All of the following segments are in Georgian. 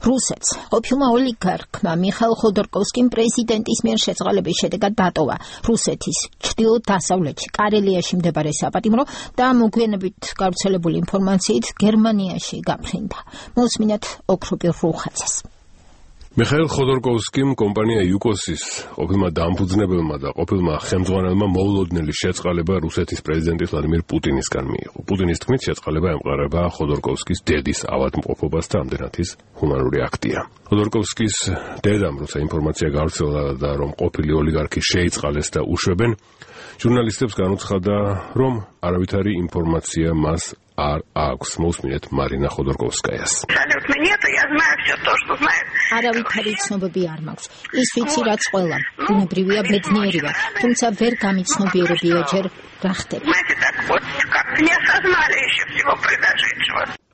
რუსეთს ყოფილმა ოლიგარქმა მიხაილ ხოდორკოვსკიმ პრეზიდენტის მიერ შეწყალების შედეგად დატოვა რუსეთის ჩრდილო-დასავლეთში კარელიაში მდებარე საპატიმრო და მოგვიანებით გავრცელებული ინფორმაციით გერმანიაში გაფრინდა. მოსმინათ ოქროპირ რუხაძეს. მიხაილ ხოდორკოვსკიმ კომპანია იუკოსის ყოფილმა დამფუძნებელმა და ყოფილმა ხელმძღვანელმა მოულოდნელი შეწყალება რუსეთის პრეზიდენტის ვლადიმირ პუტინისგან მიიღო. პუტინის თქმით, შეწყალება ემყარება ხოდორკოვსკის დედის ავადმყოფობას და ამდენად ის ჰუმანური აქტია. ხოდორკოვსკის დედამ, როცა ინფორმაცია გავრცელდა და რომ ყოფილი ოლიგარქი შეიწყალეს და უშვებენ, ჟურნალისტებს განუცხადა, რომ არავითარი ინფორმაცია მას არ აქვს. მოსმინეთ მარინა ხოდორკოვსკაიას. არავითარი ცნობები არ მაქვს. ის ვიცი, რაც ყველა. ბუნებრივია ბედნიერი ვარ, თუმცა ვერ გამიცნობიერებია ჯერ რა ხდება.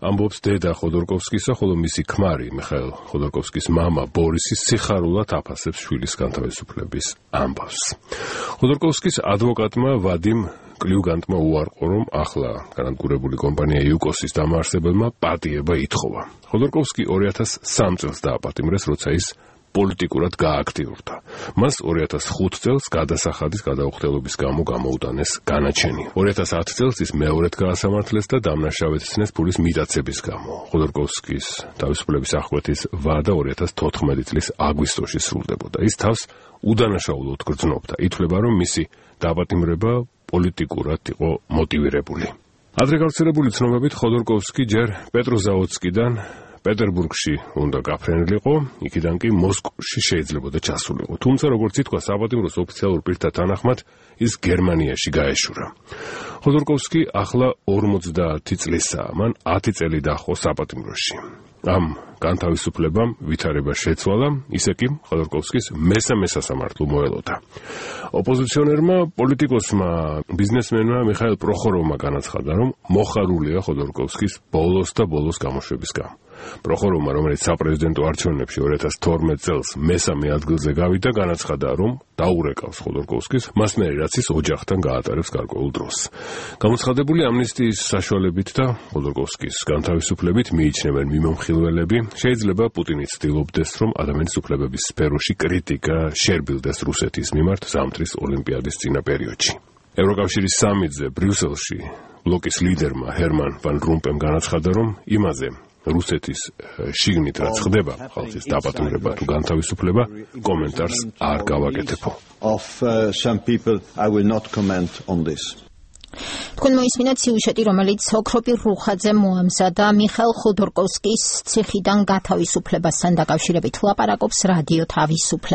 ამბობს დედა ხოდორკოვსკისა, ხოლო მისი ქმარი მიხაილ ხოდორკოვსკის მამა ბორისი სიხარულად აფასებს შვილის განთავისუფლების ამბავს. ხოდორკოვსკის ადვოკატმა ვადიმ კლიუგანტმა უარყო, რომ ახლა განადგურებული კომპანია იუკოსის დამაარსებელმა პატიება ითხოვა. ხოდორკოვსკი 2003 წელს დააპატიმრეს, როცა ის პოლიტიკურად გააქტიურდა. მას 2005 წელს გადასახადის გადაუხდელობის გამო გამოუტანეს განაჩენი. 2010 წელს ის მეორედ გაასამართლეს და დამნაშავედ ცნეს ფულის მიტაცების გამო. ხოდორკოვსკის თავისუფლების აღკვეთის ვადა 2014 წლის აგვისტოში სრულდებოდა. ის თავს უდანაშაულოდ გრძნობდა. ითვლება, რომ მისი დააპატიმრება პოლიტიკურად იყო მოტივირებული. ადრე გავრცელებული ცნობებით ხოდორკოვსკი ჯერ პეტროზავოდსკიდან პეტერბურგში უნდა გაფრენილიყო, იქიდან კი მოსკოვში შეიძლებოდა ჩასულიყო. თუმცა, როგორც ითქვა, საპატიმროს ოფიციალურ პირთა თანახმად, ის გერმანიაში გაეშურა. ხოდორკოვსკი ახლა 50 წლისაა, მან 10 წელი დაჰყო საპატიმროში. ამ განთავისუფლებამ ვითარება შეცვალა, ისე კი ხოდორკოვსკის მესამე სასამართლო მოელოდა. ოპოზიციონერმა პოლიტიკოსმა ბიზნესმენმა მიხაილ პროხოროვმა განაცხადა, რომ მოხარულია ხოდორკოვსკის ბოლოს და ბოლოს გამოშვების გამო. პროხოროვმა, რომელიც საპრეზიდენტო არჩევნებში 2012 წელს მესამე ადგილზე გავიდა, განაცხადა, რომ დაურეკავს ხოდორკოვსკის, მასმერი რაც ის ოჯახთან გაატარებს გარკვეულ დროს. გამოცხადებული ამნისტიის საშუალებით და ხოდორკოვსკის განთავისუფლებით მიიჩნევენ მიმომხილველები, შეიძლება პუტინი ცდილობდეს, რომ ადამიანის უფლებების სფეროში კრიტიკა შერბილდეს რუსეთის მიმართ ზამთრის ოლიმპიადის წინა პერიოდში. ევროკავშირის სამიტზე ბრიუსელში ბლოკის ლიდერმა ჰერმან ვან რომპემ განაცხადა, რომ იმაზე რუსეთის შიგნით რაც ხდება, ხალხის დაპატიმრება თუ განთავისუფლება, კომენტარს არ გავაკეთებო. თქვენ მოისმინეთ სიუჟეტი, რომელიც ოქროპირ რუხაძემ მოამზადა მიხაილ ხოდორკოვსკის ციხიდან გათავისუფლებასთან დაკავშირებით. ლაპარაკობს რადიო თავისუფლება.